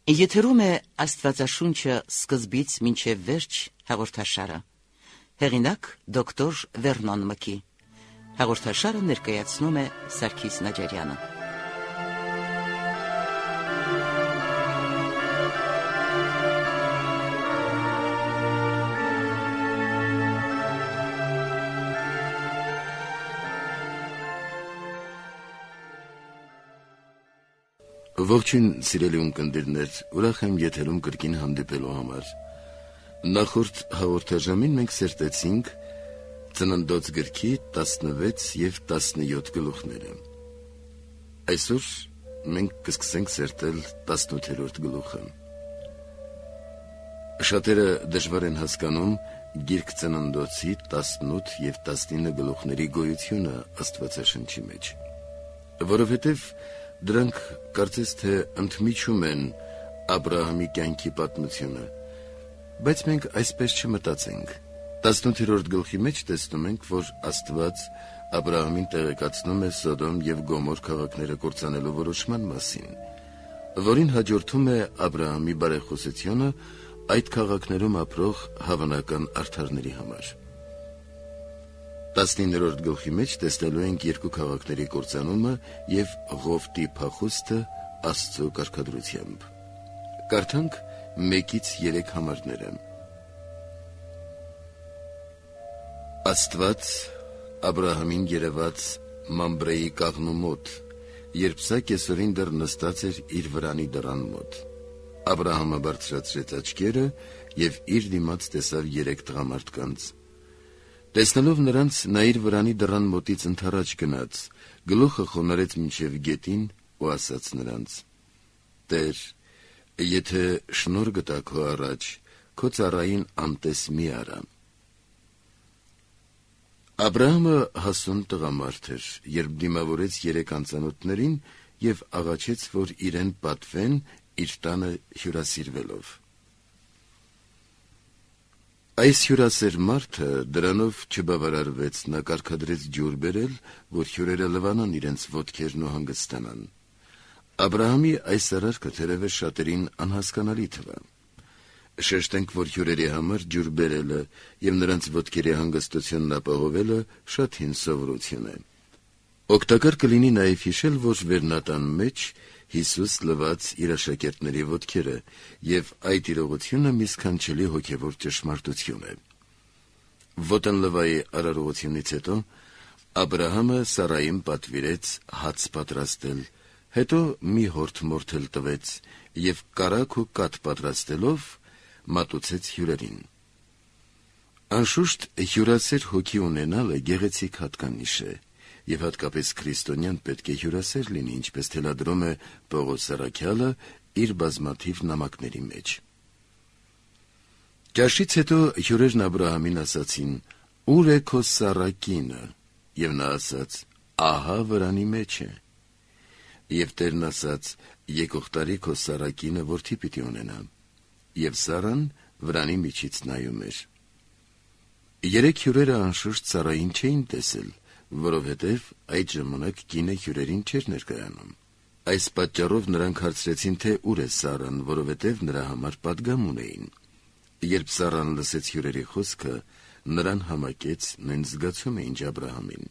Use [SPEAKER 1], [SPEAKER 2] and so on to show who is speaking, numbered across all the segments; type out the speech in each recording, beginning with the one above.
[SPEAKER 1] Եթերում է Աստվածաշունչը սկզբից մինչև վերջ հաղորդաշարը։ Հեղինակ դոկտոր Վերնոն Մկի։ Հաղորդաշարը ներկայացնում է Սարգիս Նաջարյանը։
[SPEAKER 2] Ողջույն սիրելի ունկնդիրներ, ուրախ եմ եթերում կրկին հանդիպելու համար։ Նախորդ հաղորդաժամին մենք սերտեցինք Ծննդոց գրքի 16 և 17 գլուխները։ Այսօր մենք կսկսենք սերտել 18-րդ գլուխը։ Շատերը դժվար են հասկանում գիրք Ծննդոցի 18 և 19 գլուխների գոյությունը Աստվածաշնչի մեջ, որովհետև դրանք կարծես թե ընդմիջում են Աբրահամի կյանքի պատմությունը, բայց մենք այսպես չմտածենք։ 18-րդ գլխի մեջ տեսնում ենք, որ Աստված Աբրահամին տեղեկացնում է Սոդոմ և Գոմոր քաղաքները կործանելու որոշման մասին, որին հաջորդում է Աբրահամի բարեխոսությունը այդ քաղաքներում ապրող հավանական արդարների համար։ 19-րդ գլխի մեջ տեսնելու ենք երկու քաղաքների կործանումը և Ղովտի փախուստը Աստծո կարգադրությամբ։ Կարդանք 1-3 համարները։ Աստված Աբրահամին երևաց Մամբրեի կաղնու մոտ, երբ սա կեսօրին դեռ նստած էր իր վրանի դռան մոտ։ Աբրահամը բարձրացրեց աչքերը և իր դիմաց տեսավ 3 տղամարդկանց։ Տեսնելով նրանց, նա իր վրանի դռան մոտից ընդառաջ գնաց, գլուխը խոնարհեց մինչև գետին ու ասաց նրանց. «Տեր, եթե շնորհ գտա քո առաջ, քո ծառային անտես մի արա»։ Աբրահամը հասուն տղամարդ էր, երբ դիմավորեց 3 անծանոթներին և աղաչեց, որ իրեն պատվեն իր տանը հյուրասիրվելով։ Այս հյուրասեր մարդը դրանով չբավարարվեց, նա կարգադրեց ջուր բերել, որ հյուրերը լվանան իրենց ոտքերն ու հանգստանան։ Աբրահամի այս արարքը թերևս շատերին անհասկանալի թվա։ Շեշտենք, որ հյուրերի համար ջուր բերելը և նրանց ոտքերի հանգստությունն ապահովելը շատ հին սովորություն է։ Օգտակար կլինի նաև հիշել, որ վերնատան մեջ Հիսուս լվաց իր աշակերտների ոտքերը, և այդ իրողությունը մի սքանչելի հոգևոր ճշմարտություն է։ Ոտնլվայի արարողությունից հետո Աբրահամը Սարային պատվիրեց հաց պատրաստել, հետո մի հորթ մորթել տվեց և կարագ ու կաթ պատրաստելով մատուցեց հյուրերին։ Անշուշտ հյուրասեր հոգի ունենալը գեղեցիկ հատկանիշ է, և հատկապես քրիստոնյան պետք է հյուրասեր լինի, ինչպես թելադրում է Պողոս առաքյալը իր բազմաթիվ նամակների մեջ։ Ճաշից հետո հյուրերն Աբրահամին ասացին. «Ո՞ւր է քո Սառա կինը»։ Եվ նա ասաց. «Ահա վրանի մեջ է»։ Եվ Տերն ասաց. «Եկող տարի քո Սառա կինը որդի պիտի ունենա»։ Եվ Սառան վրանի միջից նայում էր։ 3 հյուրերը անշուշտ Սառային չէին տեսել, որովհետև այդ ժամանակ կինը հյուրերին չէր ներկայանում։ Այս պատճառով նրանք հարցրեցին, թե ուր է Սառան, որովհետև նրա համար պատգամ ունեին։ Երբ Սառան լսեց հյուրերի խոսքը, նրան համակեց նույն զգացումը, ինչ Աբրահամին։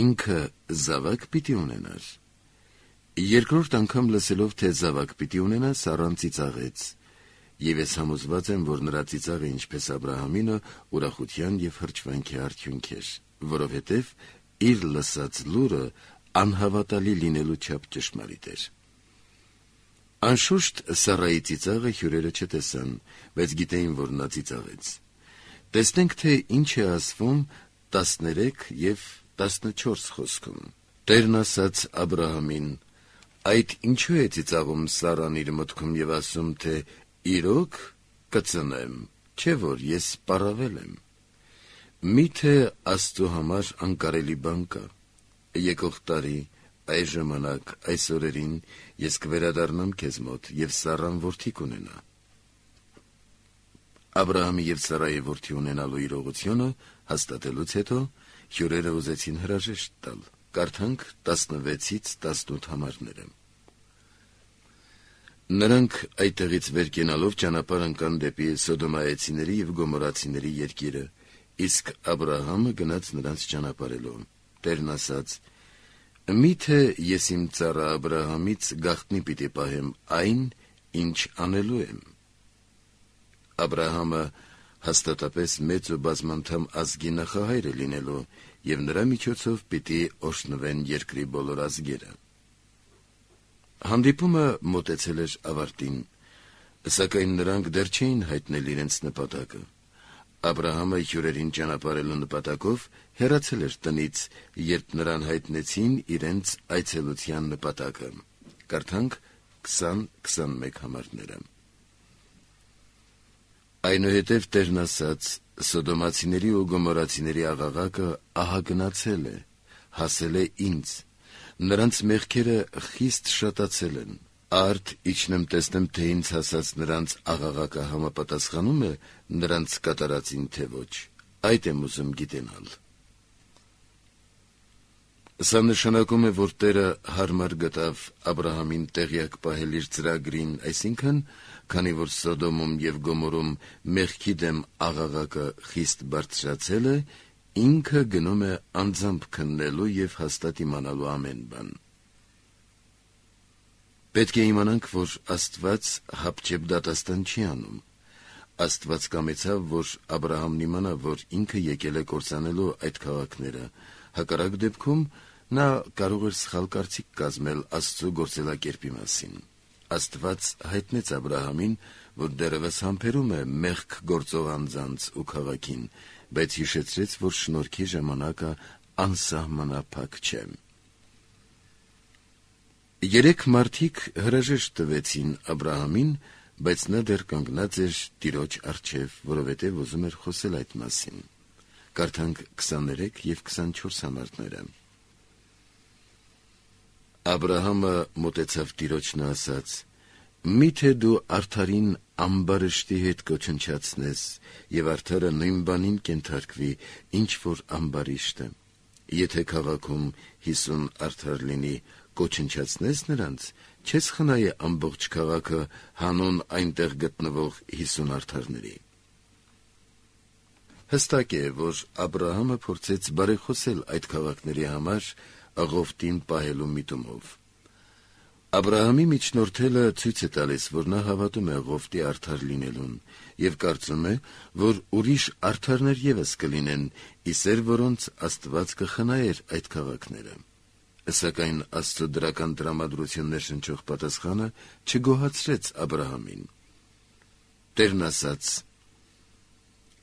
[SPEAKER 2] Ինքը զավակ պիտի ունենար։ Երկրորդ անգամ լսելով, թե զավակ պիտի ունենա, Սառան ծիծաղեց։ Եվ ես համոզված եմ, որ նրա ծիծաղը, ինչպես Աբրահամինը, ուրախության և հրճվանքի արդյունք էր, որովհետև իր լսած լուրը անհավատալի լինելու չափ ճշմարիտ էր։ Անշուշտ Սառայի ծիծաղը հյուրերը չտեսան, բայց գիտեին, որ նա ծիծաղեց։ Տեսնենք, թե ինչ է ասվում 13 և 14 խոսքում։ Տերն ասաց Աբրահամին. «Այդ ինչու է ծիծաղում Սառան իր մտքում և ասում, թե իրոք կծնեմ, չէ՞ որ ես պառավել եմ։ Մի՞թե Աստծո համար անկարելի բան կա։ Եկող տարի, այս ժամանակ, այս օրերին ես կվերադառնամ քեզ մոտ, և Սառան որդի կունենա»։ Աբրահամի և Սառայի որդի ունենալու իրողությունը հաստատելուց հետո հյուրերը ուզեցին հրաժեշտ տալ։ Կարդանք 16-ից 18 համարները։ Նրանք այդտեղից վեր կենալով ճանապարհ ընկան դեպի Սոդոմայեցիների եւ Գոմորացիների երկիրը, իսկ Աբրահամը գնաց նրանց ճանապարհելով։ Տերն ասաց. «Միթե ես իմ ծառա Աբրահամից գաղտնի պիտի պահեմ այն, ինչ անելու եմ»։ Աբրահամը հաստատապես մեծ ու բազմանդամ ազգի նախահայր է լինելու, եւ նրա միջոցով պիտի օրհնվեն երկրի բոլոր ազգերը։ Հանդիպումը մոտեցել էր ավարտին, սակայն նրանք դեռ չէին հայտնել իրենց նպատակը։ Աբրահամը հյուրերին ճանապարհելու նպատակով հեռացել էր տնից, երբ նրան հայտնեցին իրենց այցելության նպատակը։ Կարդանք 20-21 համարները։ Այնուհետև Տերն ասաց. «Սոդոմացիների ու Գոմորացիների աղաղակը ահա գնացել է, հասել է ինձ, նրանց մեղքերը խիստ շատացել են, արդ իջնեմ տեսնեմ, թե ինձ հասած նրանց աղաղակը համապատասխանում է նրանց կատարածին, թե ոչ, այդ եմ ուզում գիտենալ»։ Սա նշանակում է, որ Տերը հարմար գտավ Աբրահամին տեղյակ պահել իր ծրագրին, այսինքն, քանի որ Սոդոմում եւ Գոմորում մեղքի դեմ աղաղակը խիստ բարձրացել է, ինքը գնում է անձամբ քննելու եւ հաստատ իմանալու ամեն բան։ Պետք է իմանանք, որ Աստված հապճեպ դատաստան չի անում։ Աստված կամեցավ, որ Աբրահամն իմանա, որ ինքը եկել է կործանելու այդ քաղաքները, հակառակ դեպքում նա կարող էր սխալ կարծիք կազմել Աստծո գործելակերպի մասին։ Աստված հայտնեց Աբրահամին, որ դեռևս համբերում է մեղք գործող անձանց ու քաղաքին, բայց հիշեցրեց, որ շնորհքի ժամանակը անսահմանափակ չէ։ 3 մարդիկ հրաժեշտ տվեցին Աբրահամին, բայց նա դեռ կանգնած էր Տիրոջ առջև, որովհետև ուզում էր խոսել այդ մասին։ Կարդանք 23 եւ 24 համարները։ Աբրահամը մոտեցավ Տիրոջն ու ասաց. «Միթե դու արդարին ամբարշտի հետ կոչնչացնես, եւ արդարը նույն բանին կենթարկվի, ինչ որ ամբարիշտը։ Եթե քաղաքում 50 արդար լինի, կոչնչացնես նրանց, չես խնայե ամբողջ քաղաքը հանուն այնտեղ գտնվող 50 արդարների»։ Հստակ է, որ Աբրահամը փորձեց բարեխոսել այդ քաղաքների համար աղոթին պահելու միտումով։ Աբրահամի միջնորդելը ցույց է տալիս, որ նա հավատում է աղոթի արդար լինելուն եւ կարծում է, որ ուրիշ արդարներ եւս կլինեն, իսեր որոնց Աստված կխնայեր այդ քաղաքները։ Սակայն Աստծո դրական տրամադրություններ շնչող պատասխանը չգոհացրեց Աբրահամին։ Տերն ասաց.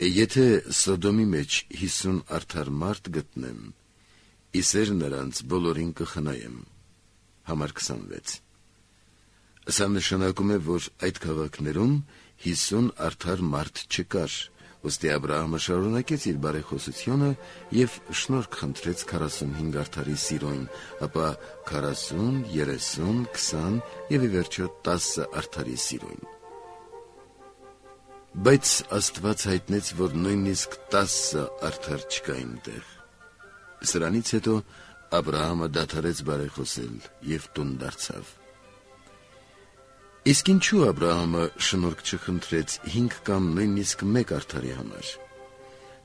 [SPEAKER 2] «Եթե Սոդոմի մեջ 50 արդար մարդ գտնեմ, իսեր նրանց բոլորին կխնայեմ»։ Համար 26։ Սա նշանակում է, որ այդ քաղաքներում 50 արդար մարդ չկար, ուստի Աբրահամը շարունակեց իր բարեխոսությունը եւ շնորհք խնդրեց 45 արդարի սիրուն, ապա 40, 30, 20 եւ ի վերջո 10 արդարի սիրուն։ Բայց Աստված հայտնեց, որ նույնիսկ 10 արդար չկա այնտեղ։ Սրանից հետո Աբրահամը դադարեց բարեխոսել եւ տուն դարձավ։ Իսկ ինչու Աբրահամը շնորհք չխնդրեց 5 կամ նույնիսկ 1 արդարի համար։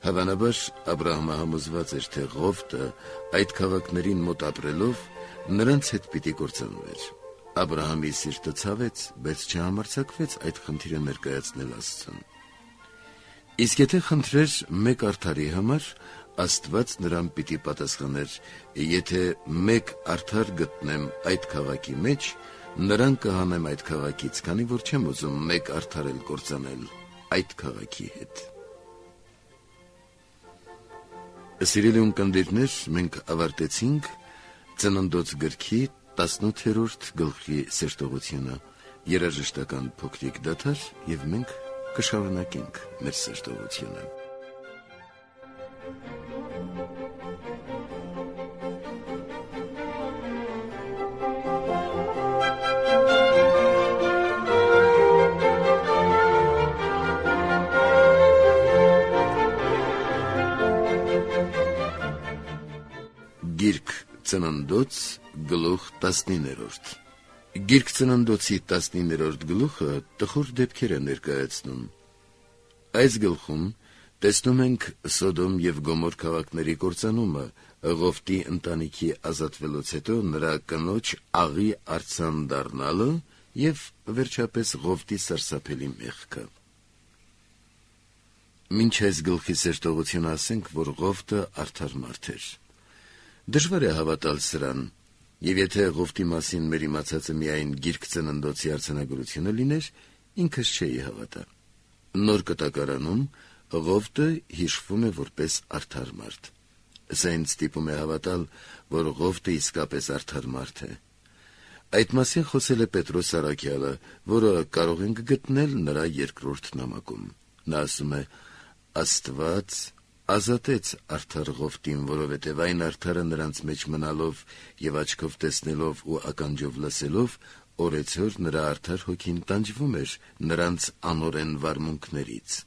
[SPEAKER 2] Հավանաբար Աբրահամը համոզված էր, թե ղովտը այդ քաղաքներին մոտ ապրելով նրանց հետ պիտի կործանվեր։ Աբրահամի սիրտը ցավեց, բայց չհամարձակվեց այդ խնդիրը ներկայացնել Աստծուն։ Իսկ եթե խնդրեր 1 արդարի համար, Աստված նրան պիտի պատասխաներ. «Եթե 1 արդար գտնեմ այդ քաղաքի մեջ, նրան կհանեմ այդ քաղաքից, քանի որ չեմ ուզում 1 արդար էլ կործանել այդ քաղաքի հետ»։ Սիրելի ունկնդիրներ, մենք ավարտեցինք Ծննդոց գրքի 18-րդ գլխի սերտողությունը, երաժշտական փոքրիկ դադար, եւ մենք կշարունակենք մեր սերտողությունը։ Գիրք Ծննդոց գլուխ 19։ Գիրք ծննդոցի 19-րդ գլուխը տխուր դեպքեր է ներկայացնում։ Այս գլխում տեսնում ենք Սոդոմ եւ Գոմոր քաղաքների կործանումը, Ղովտի ընտանիքի ազատվելուց հետո նրա կնոջ աղի արձան դառնալը եւ վերջապես Ղովտի սարսափելի մեղքը։ Մինչ այս գլխի սերտողությունը ասենք, որ Ղովտը արդար մարդ էր։ Դժվար է հավատալ սրան, եւ եթե Ղովտի մասին մեր իմացածը միայն Գիրք ծննդոցի արձանագրությունը լիներ, ինքս չէի հավատա։ Նոր կտակարանում Ղովտը հիշվում է որպես արդար մարդ։ Սա ինձ ստիպում է հավատալ, որ Ղովտը իսկապես արդար մարդ է։ Այդ մասին խոսել է Պետրոս առաքյալը, որը կարող ենք գտնել նրա 2-րդ նամակում։ Նա ասում է. «Աստված ազատեց արդար Ղովտին, որովհետև այն արդարը նրանց մեջ մնալով եւ աչքով տեսնելով ու ականջով լսելով, օրեցօր նրա արդար հոգին տանջվում էր նրանց անօրեն վարմունքներից»։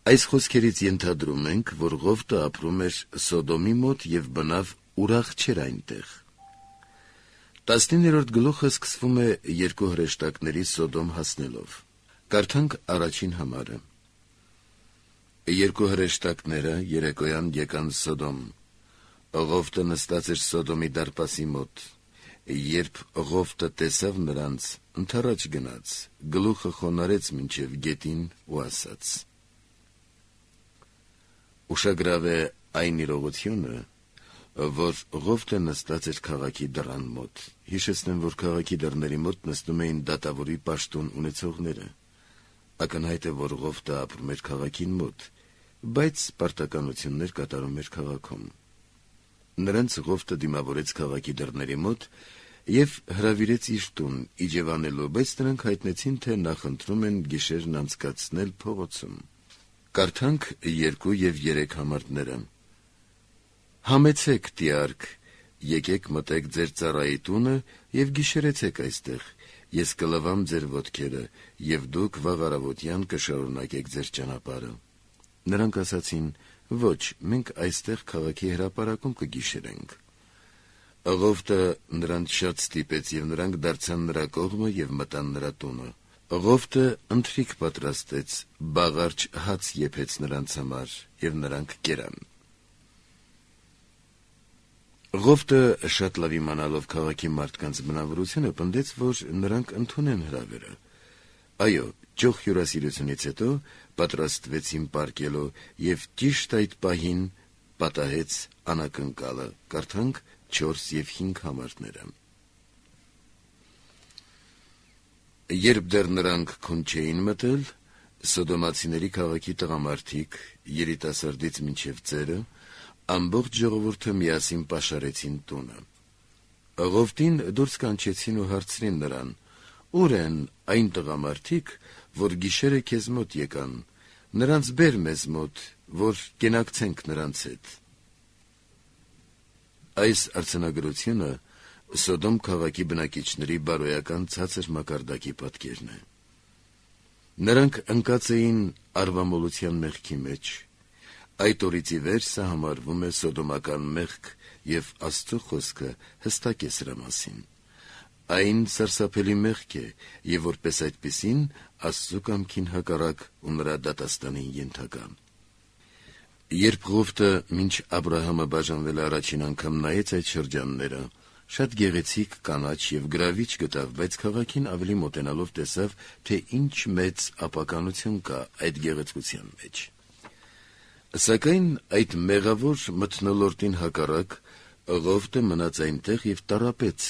[SPEAKER 2] Այս խոսքերից ենթադրում ենք, որ Ղովտը ապրում էր Սոդոմի մոտ եւ բնավ ուրախ չէր այնտեղ։ 19-րդ գլուխը սկսվում է երկու հրեշտակների Սոդոմ հասնելով։ Կարդանք առաջին համարը։ Երկու հրեշտակները երեկոյան եկան Սոդոմ։ Ղովտը նստած էր Սոդոմի դարպասի մոտ։ Երբ Ղովտը տեսավ նրանց, ընդառաջ գնաց, գլուխը խոնարհեց մինչև գետին ու ասաց. Ուշագրավ է այն իրողությունը, որ Ղովտը նստած էր քաղաքի դռան մոտ։ Հիշեցնեմ, որ քաղաքի դռների մոտ նստում էին դատավորի պաշտոն ունեցողները։ Ակնհայտ է, որ Ղովտը ապրում էր քաղաքին մոտ, բայց պարտականություններ կատարում էր քաղաքում։ Նրանց Ղովտը դիմավորեց քաղաքի դռների մոտ եւ հրավիրեց իր տուն իջևանելու, բայց նրանք հայտնեցին, թե նախընտրում են գիշերն անցկացնել փողոցում։ Կարդանք 2 եւ 3 համարները։ Համեցեք, տիարք, եկեք մտեք ձեր ծառայի տունը եւ գիշերեցեք այստեղ, ես կլվամ ձեր ոտքերը եւ դուք վաղ առավոտյան կշարունակեք ձեր ճանապարհը։ Նրանք ասացին. ոչ, մենք այստեղ քաղաքի հրապարակում կգիշերենք։ Ղովտը նրանց շատ ստիպեց եւ նրանք դարձան նրա կողմը եւ մտան նրա տունը։ Ղովտը ընթրիք պատրաստեց, բաղարջ հաց եփեց նրանց համար եւ նրանք կերան։ Ղովտը շատ լավ իմանալով քաղաքի մարդկանց բնավորությունը, պնդեց, որ նրանք ընդունեն հրավերը։ Այո, ճոխ հյուրասիրությունից հետո պատրաստվեցին պարկելու եւ ճիշտ այդ պահին պատահեց անակնկալը։ Կարդանք 4 եւ 5 համարները։ Երբ դեռ նրանք քուն չէին մտել, Սոդոմացիների քաղաքի տղամարդիկ, երիտասարդից մինչև ծերը, ամբողջ ժողովուրդը միասին պաշարեցին տունը։ Ղովտին դուրս կանչեցին ու հարցրին նրան. «Ուր են այն տղամարդիկ, որ գիշերը քեզ մոտ եկան, նրանց բեր մեզ մոտ, որ կենակցենք նրանց հետ»։ Այս արձանագրությունը Սոդոմ քաղաքի բնակիչների բարոյական ցածր մակարդակի պատկերն է։ Նրանք ընկած էին արվամոլության մեղքի մեջ։ Այդ օրից ի վեր սա համարվում է սոդոմական մեղք եւ Աստծո խոսքը հստակ է սրա մասին։ Այն սարսափելի մեղք է եւ որպես այդպիսին Աստծո կամքին հակառակ ու նրա դատաստանին ենթակա։ Երբ Ղովտը մինչ Աբրահամը բաժանվել առաջին անգամ նայեց այդ շրջանները, շատ գեղեցիկ, կանաչ եւ գրավիչ գտավ, բայց քաղաքին ավելի մոտենալով տեսավ, թե ինչ մեծ ապականություն կա այդ գեղեցկության մեջ։ Սակայն այդ մեղավոր մթնոլորտին հակառակ Ղովտը մնաց այնտեղ եւ տառապեց,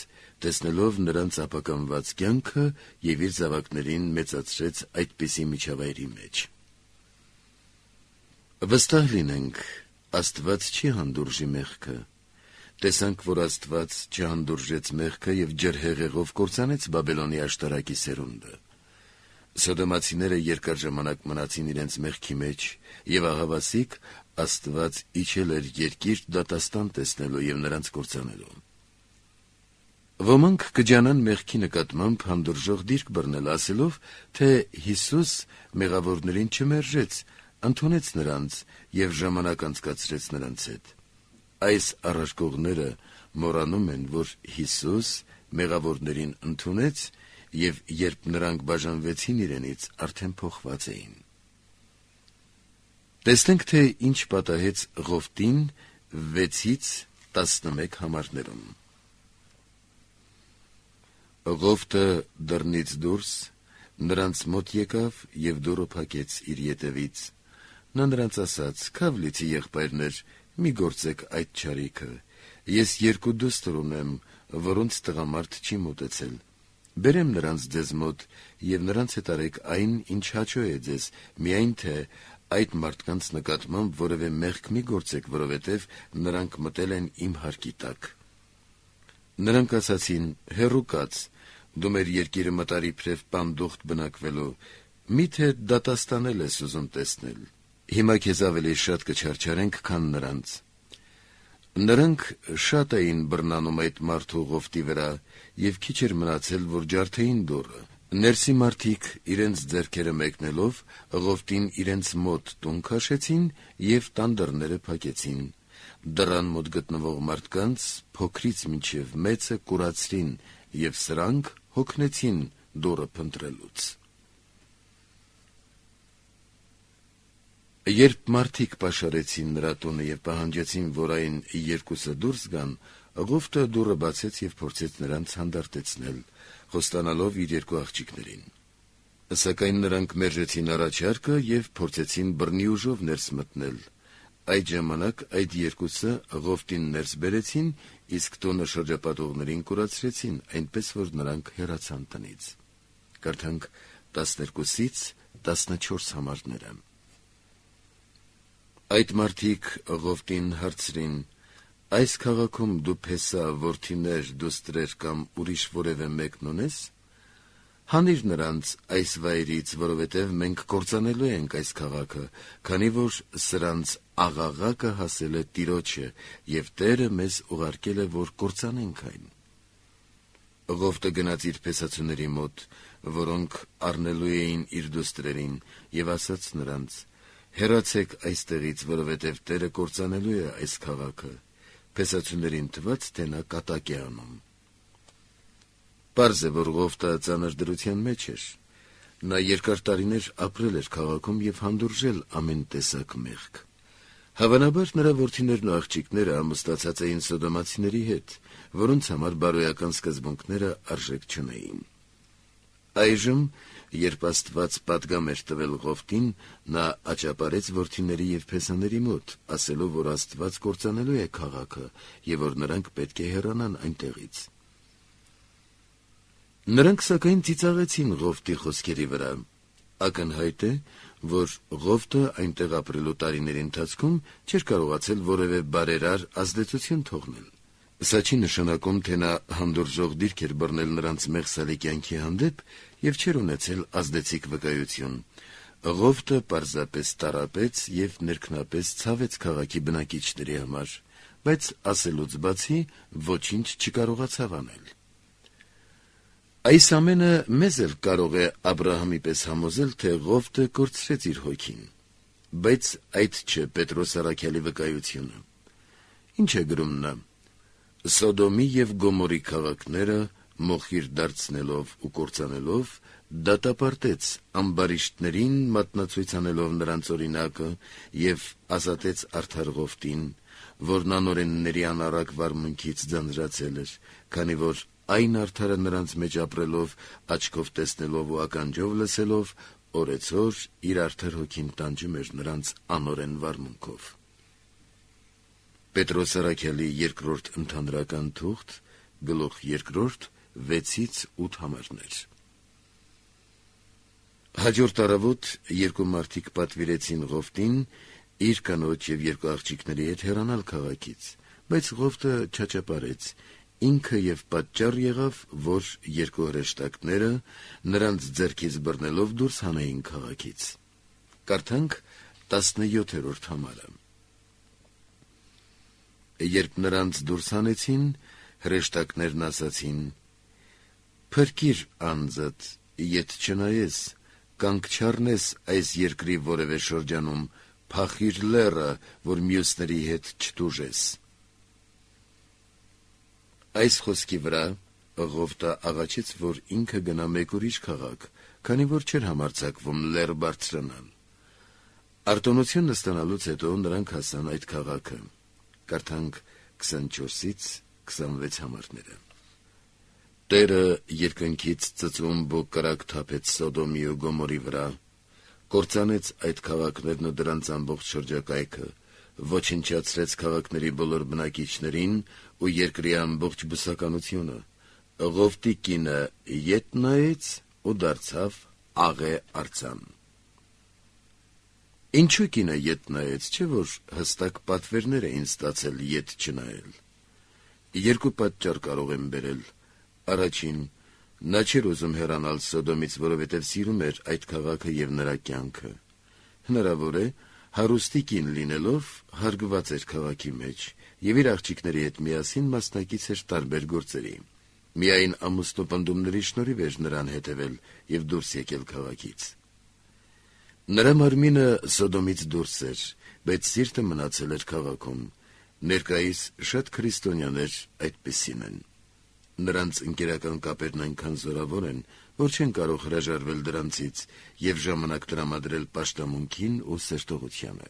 [SPEAKER 2] տեսնելով նրանց ապականված կյանքը եւ իր զավակներին մեծացրեց այդպիսի միջավայրի մեջ։ Վստահ լինենք, Աստված չի հանդուրժի մեղքը։ Տեսանք, որ Աստված չհանդուրժեց մեղքը եւ ջրհեղեղով կործանեց Բաբելոնի աշտարակի սերունդը։ Սոդոմացիները երկար ժամանակ մնացին իրենց մեղքի մեջ եւ ահավասիկ Աստված իջել էր երկիր դատաստան տեսնելու եւ նրանց կործանելու։ Ոմանք կջանան մեղքի նկատմամբ հանդուրժող դիրք բռնել, ասելով, թե Հիսուս մեղավորներին չմերժեց, ընդունեց նրանց եւ ժամանակ անցկացրեց նրանց հետ։ Այս առարկողները մոռանում են, որ Հիսուս մեղավորներին ընդունեց և երբ նրանք բաժանվեցին իրենից, արդեն փոխված էին։ Տեսնենք, թե ինչ պատահեց Ղովտին 6-11 համարներում։ Ղովտը դռնից դուրս նրանց մոտ եկավ և դուռը փակեց իր ետևից։ Նա նրանց ասաց. «Քավլիցի եղբայրներ, մի գործեք այդ չարիքը, ես 2 դուստր ունեմ, որոնց տղամարդ չի մոտեցել։ Բերեմ նրանց ձեզ մոտ և նրանց հետ արեք այն, ինչ հաճո է ձեզ, միայն թե այդ մարդկանց նկատմամբ որևէ մեղք մի գործեք, որովհետև նրանք մտել են իմ հարկի տակ»։ Նրանք ասացին. «Հեռու կաց, դու մեր երկիրը մտար իբրև պանդուխտ բնակվելու, միթե դատաստանել ես ուզում տեսնել։ Հիմա քեզ ավելի շատ կչարչարենք, քան նրանց»։ Նրանք շատ էին բռնանում այդ մարդու Ղովտի վրա, և քիչ էր մնացել, որ ջարդեին դուռը։ Ներսի մարդիկ իրենց ձեռքերը մեկնելով Ղովտին իրենց մոտ տուն քաշեցին և տան դռները փակեցին։ Դռան մոտ գտնվող մարդկանց փոքրից մինչև մեծը կուրացրին և սրանք հոգնեցին դուռը փնտրելուց։ Երբ մարդիկ պաշարեցին նրա տունը և պահանջեցին, որ այն 2-ը դուրս գան, Ղովտը դուռը բացեց և փորձեց նրանց հանդարտեցնել, խոստանալով իր 2 աղջիկներին։ Սակայն նրանք մերժեցին առաջարկը և փորձեցին բռնի ուժով ներս մտնել։ Այդ ժամանակ այդ 2-ը Ղովտին ներս բերեցին, իսկ տունը շրջապատողներին կուրացրեցին, այնպես որ նրանք հեռացան տնից։ Կարդանք 12-14 համարները։ Այդ մարդիկ Ղովտին հարցրին. «Այս քաղաքում դու փեսա, որդիներ, դուստրեր կամ ուրիշ որևէ մեկն ունես։ Հանիր նրանց այս վայրից, որովհետև մենք կործանելու ենք այս քաղաքը, քանի որ սրանց աղաղակը հասել է Տիրոջը, և Տերը մեզ ուղարկել է, որ կործանենք այն»։ Ղովտը գնաց իր փեսացուների մոտ, որոնք առնելու էին իր դուստրերին, և ասաց նրանց. «Հեռացեք այստեղից, որովհետև Տերը կործանելու է այս քաղաքը»։ Փեսացուներին թվաց, թե նա կատակ է անում։ Պարզ է, որ Ղովտը ծանր դրության մեջ էր։ Նա երկար տարիներ ապրել էր քաղաքում և հանդուրժել ամեն տեսակ մեղք։ Հավանաբար նրա որդիներն ու աղջիկները ամուսնացած էին սոդոմացիների հետ, որոնց համար բարոյական սկզբունքները արժեք չունեին։ Այժմ, երբ Աստված պատգամ էր տվել Ղովտին, նա աճապարեց որդիների և փեսաների մոտ, ասելով, որ Աստված կործանելու է քաղաքը և որ նրանք պետք է հեռանան այնտեղից։ Նրանք սակայն ծիծաղեցին Ղովտի խոսքերի վրա։ Ակնհայտ է, որ Ղովտը այնտեղ ապրելու տարիների ընթացքում չէր կարողացել որևէ բարերար ազդեցություն թողնել։ Սա չի նշանակում, թե նա հանդուրժող դիրք էր բռնել նրանց մեղսալի կյանքի հանդեպ և չէր ունեցել ազդեցիկ վկայություն։ Ղովտը պարզապես տառապեց և ներքնապես ցավեց քաղաքի բնակիչների համար, բայց ասելուց բացի ոչինչ չկարողացավ անել։ Այս ամենը մեզ էլ կարող է Աբրահամի պես համոզել, թե Ղովտը կորցրեց իր հոգին։ Բայց այդ չէ Պետրոս առաքյալի վկայությունը։ Ինչ է գրում նա. «Սոդոմի և Գոմորի քաղաքները մոխիր դարձնելով ու կործանելով, դատապարտեց ամբարիշտներին, մատնացույց անելով նրանց օրինակը, և ազատեց արդար Ղովտին, որն անօրենների անառակ վարմունքից ձանձրացել էր, քանի որ այն արդարը նրանց մեջ ապրելով, աչքով տեսնելով ու ականջով լսելով, օրեցօր իր արդար հոգին տանջում էր նրանց անօրեն վարմունքով»։ Պետրոս առաքյալի 2-րդ ընդհանրական թուղթ, գլուխ 2, 6-8 համարներ։ Հաջորդ առավոտ 2 մարդիկ պատվիրեցին Ղովտին իր կնոջ և 2 աղջիկների հետ հեռանալ քաղաքից, բայց Ղովտը չաճապարեց, ինքը և պատճառ եղավ, որ 2 հրեշտակները նրանց ձեռքից բռնելով դուրս հանեին քաղաքից։ Կարդանք 17-րդ համարը։ Երբ նրանց դուրս հանեցին, հրեշտակներն ասացին. «Փրկիր անձդ, ետ չնայես, կանք չառնես այս երկրի որևէ շրջանում, փախիր լեռը, որ մյուսների հետ չտուժես»։ Այս խոսքի վրա Ղովտը աղաչեց, որ ինքը գնա մեկ ուրիշ քաղաք, քանի որ չէր համարձակվում լեռ բարձրանալ։ Արտոնություն ստանալուց հետո նրանք հասան այդ քաղաքը։ Կարդանք 24-ից 26 համարները։ Տերը երկնքից ծծումբ ու կրակ թափեց Սոդոմի ու Գոմորի վրա, կործանեց այդ քաղաքներն ու դրանց ամբողջ շրջակայքը, ոչնչացրեց քաղաքների բոլոր բնակիչներին ու երկրի ամբողջ բուսականությունը։ Ղովտի կինը ետ նայեց ու դարձավ աղե արձան։ Ինչու կինը ետ նայեց, չէ՞ որ հստակ պատվերներ էին ստացել ետ չնայել։ Երկու պատճառ կարող եմ բերել։ Առաջին, նա չէր ուզում հեռանալ Սոդոմից, որովհետև սիրում էր այդ քաղաքը եւ նրա կյանքը։ Հնարավոր է, հարուստի կին լինելով հարգված էր քաղաքի մեջ եւ իր աղջիկների հետ միասին մասնակից էր տարբեր գործերի։ Միայն ամուսնու պնդումների շնորհիվ էր նրան հետևել եւ դուրս եկել քաղաքից։ Նրա մարմինը Սոդոմից դուրս էր, բայց սիրտը մնացել էր քաղաքում։ Ներկայիս շատ քրիստոնյաներ այդպիսին են։ Նրանց ընկերական կապերն այնքան զորավոր են, որ չեն կարող հրաժարվել դրանցից եւ ժամանակ տրամադրել պաշտամունքին ու սերտողությանը։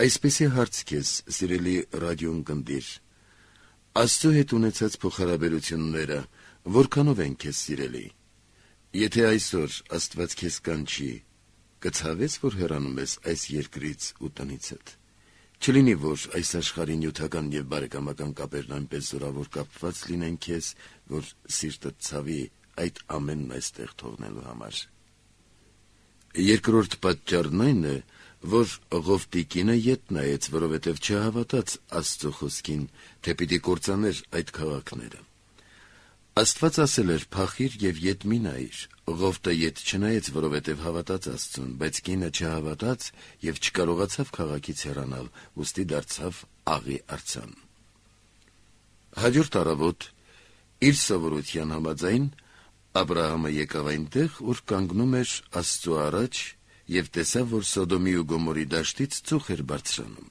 [SPEAKER 2] Այսպեսի հարց քեզ, սիրելի ռադիոընկերներ, Աստծո հետ ունեցած փոխհարաբերությունները որքանով են քեզ սիրելի։ Եթե այսօր Աստված քեզ կանչի, կցավես, որ հեռանում ես այս երկրից ու տնիցդ։ Չլինի, որ այս աշխարհի նյութական եւ բարեկամական կապերն այնպես զորավոր կապված լինեն քեզ, որ սիրտդ ցավի այդ ամենն այստեղ թողնելու համար։ Երկրորդ պատճառն այն է, որ Ղովտի կինը ետ նայեց, որովհետև չհավատաց Աստծո խոսքին, թե պիտի կործաներ այդ քաղաքները։ Աստված ասել էր. «Փախիր եւ ետ մի նայիր»։ Ղովտը ետ չնայեց, որովհետև հավատաց Աստծուն, բայց կինը չհավատաց եւ չկարողացավ քաղաքից հեռանալ, ուստի դարձավ աղի արձան։ Հաջորդ առավոտ իր սովորության համաձայն Աբրահամը եկավ այնտեղ, ուր կանգնում էր Աստծո առաջ, եւ տեսավ, որ Սոդոմի ու Գոմորի դաշտից ծուխ էր բարձրանում։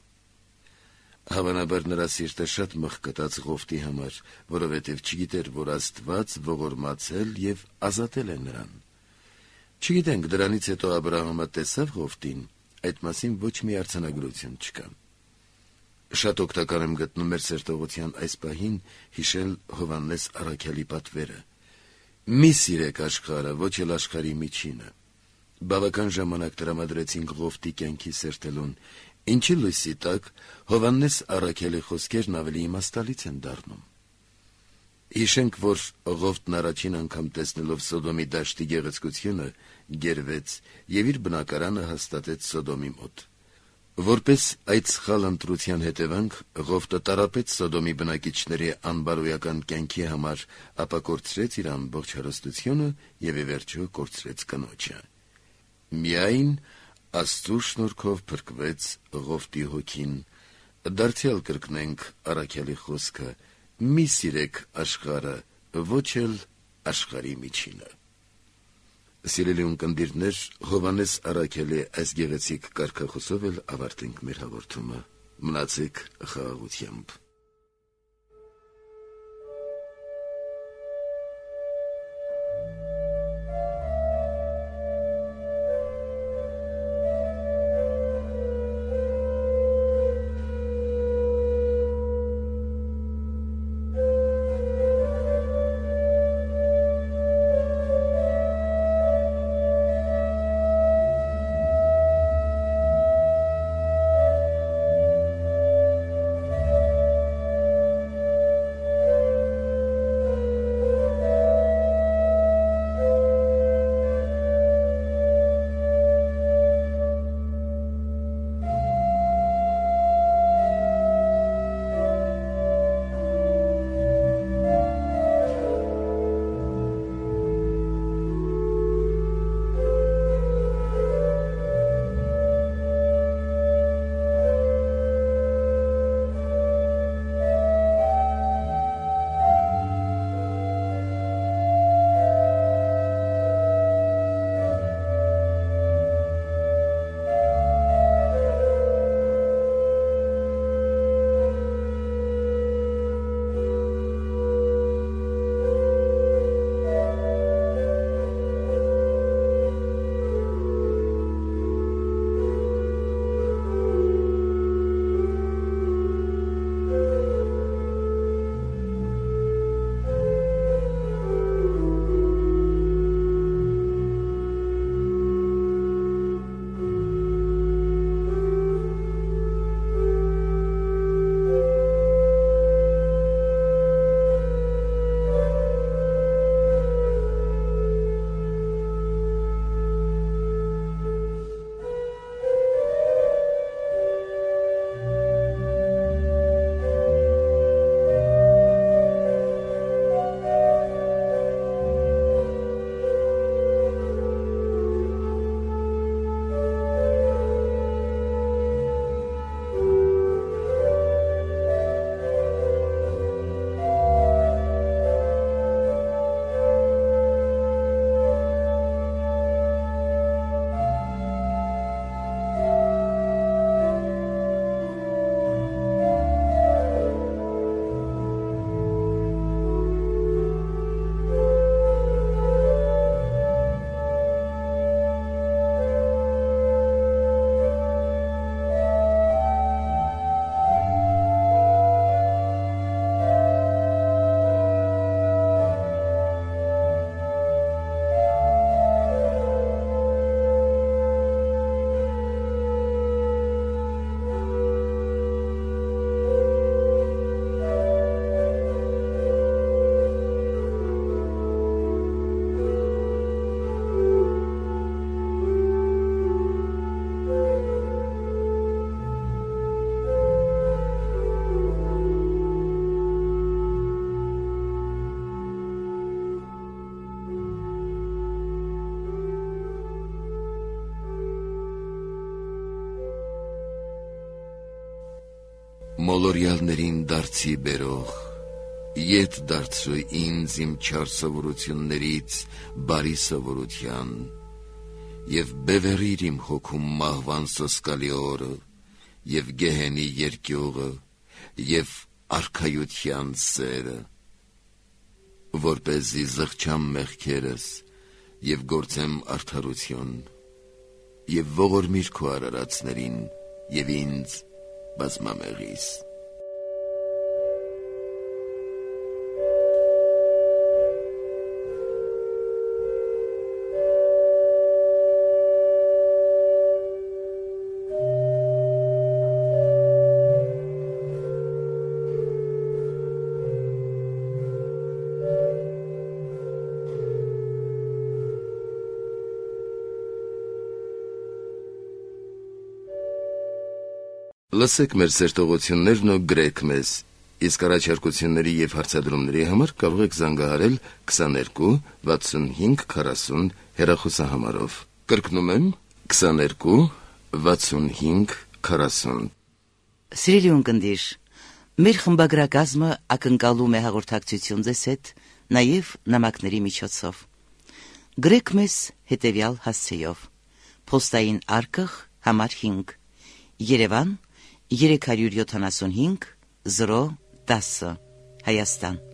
[SPEAKER 2] Հավանաբար նրա սիրտը շատ մղկտաց Ղովտի համար, որովհետև չգիտեր, որ Աստված ողորմացել եւ ազատել է նրան։ Չգիտենք, դրանից հետո Աբրահամը տեսավ Ղովտին, այդ մասին ոչ մի արձանագրություն չկա։ Շատ օգտակար եմ գտնում մեր սերտողության այս պահին հիշել Հովհաննես առաքյալի պատվերը։ Մի սիրեք աշխարհը, ոչ էլ աշխարհի միջինը։ Բավական ժամանակ տրամադրեցինք Ղովտի կյանքի սերտելուն, ինչի լույսի տակ Հովհաննես առաքյալի խոսքերն ավելի իմաստալից են դառնում։ Հիշենք, որ Ղովտն առաջին անգամ տեսնելով Սոդոմի դաշտի գեղեցկությունը, գերվեց եւ իր բնակարանը հաստատեց Սոդոմի մոտ։ Որպես այդ սխալ ընտրության հետևանք Ղովտը տարապեց Սոդոմի բնակիչների անբարոյական կյանքի համար, ապա կորցրեց իր ամբողջ հարստությունը եւ ի վերջո կորցրեց կնոջը։ Միայն Աստծո շնորհքով փրկվեց Ղովտի հոգին։ Դարձյալ կրկնենք առաքյալի խոսքը. «Մի սիրեք աշխարհը, ոչ էլ աշխարհի միջինը»։ Սիրելի ունկնդիրներ, Հովհաննես առաքյալի այս գեղեցիկ կարգախոսով էլ ավարտենք մեր հաղորդումը։ Մնացեք խաղաղությամբ։ մոլորյալներին դարձի բերող, ետ դարձրու ինձ իմ չար սովորություններից բարի սովորության, և բևեռիր իմ հոգում մահվան սոսկալի օրը, և գեհենի երկյուղը, և արքայության սերը, որպեսզի զղջամ մեղքերս և գործեմ արդարություն, և ողորմիր քո արարածներին և ինձ բազմամեղիս։ Լսեք մեր սերտողություններն ու գրեք մեզ, իսկ առաջարկությունների և հարցադրումների համար կարող եք զանգահարել 22 65 40 հեռախոսահամարով։ Կրկնում եմ 22 65 40։
[SPEAKER 1] Սիրելի ունկնդիր, մեր խմբագրակազմը ակնկալում է հաղորդակցություն ձեզ հետ նաև նամակների միջոցով։ Գրեք մեզ հետևյալ հասցեով. Պոստային արկղ համար 5 Երևան 375 010 Հայաստան